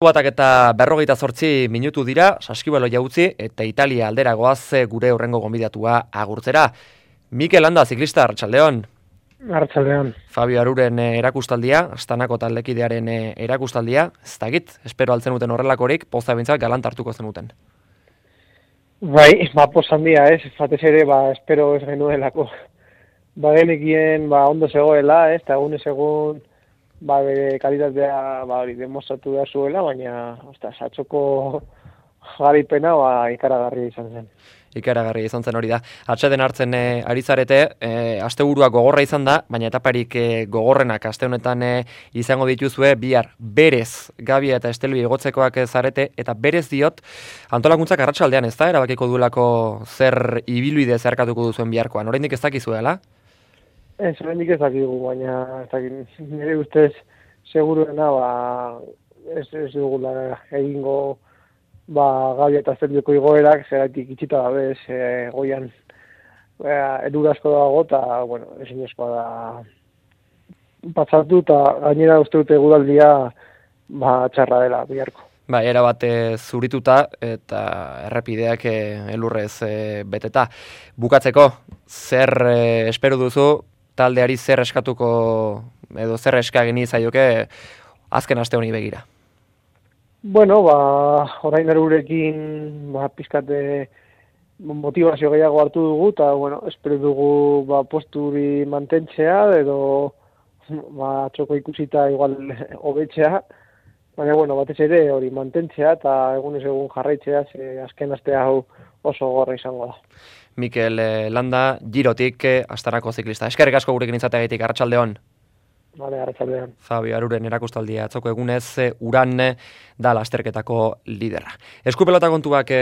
Batak eta 58 minutu dira, Saskibaloia utzi eta Italia aldera goaz gure hurrengo gonbidatua agurtzera. Mikel Landa, ziklista, arratsaldeon. Arratsaldeon. Fabio Aruren erakustaldia, Astanako taldekidearen erakustaldia, ez dakit, espero altzen uten horrelakorik, poza bintzak galant hartuko zenuten. Bai, poz handia ez, batez ere, espero ez genuelako. Genekien, ondo zegoela, ez, eta egun bere kalitatea hori demostratu behar zuela, baina atxoko garipena ikaragarria izan zen. Ikaragarria izan zen hori da. Atxeden hartzen ari zarete, asteburua gogorra izan da, baina etaparik gogorrenak aste honetan izango dituzue, bihar berez Gabia eta Estelbi igotzekoak zarete, eta berez diot, antolakuntzak arratsaldean ez da, erabakiko duelako zer ibilbide zeharkatuko duzuen biharkoan. Oraindik ez dakizuela? Ez, oraindik ez dakigu, baina nire ustez seguruena ez dugula egingo Gabia eta Estelbiko igoerak, zeraitik itxita dabez, goian edurasko dago, eta, ezinezkoa da patzatu, eta gainera uste dute eguraldia txarra dela biharko. Erabat zurituta eta errepideak elurrez beteta. Bukatzeko, zer espero duzu, taldeari zer eskatuko, edo zer eskagini zaioke azken aste honi begira? Orain erurekin pizkate motivazio gehiago hartu dugu, eta, espero dugu posturi mantentzea, edo txoko ikusita igual hobetzea, baina, batez ere hori mantentzea, eta egunez egun jarraitzea, azken aste hau oso gorra izango da. Mikel Landa, Girotik, Astanako ziklista. Eskerrik asko gurekin izateagatik, arratsaldeon. Arratsaldeon. Fabio Aruren erakustaldia atzoko egunez, Uran da lasterketako lidera. Eskupelota kontuak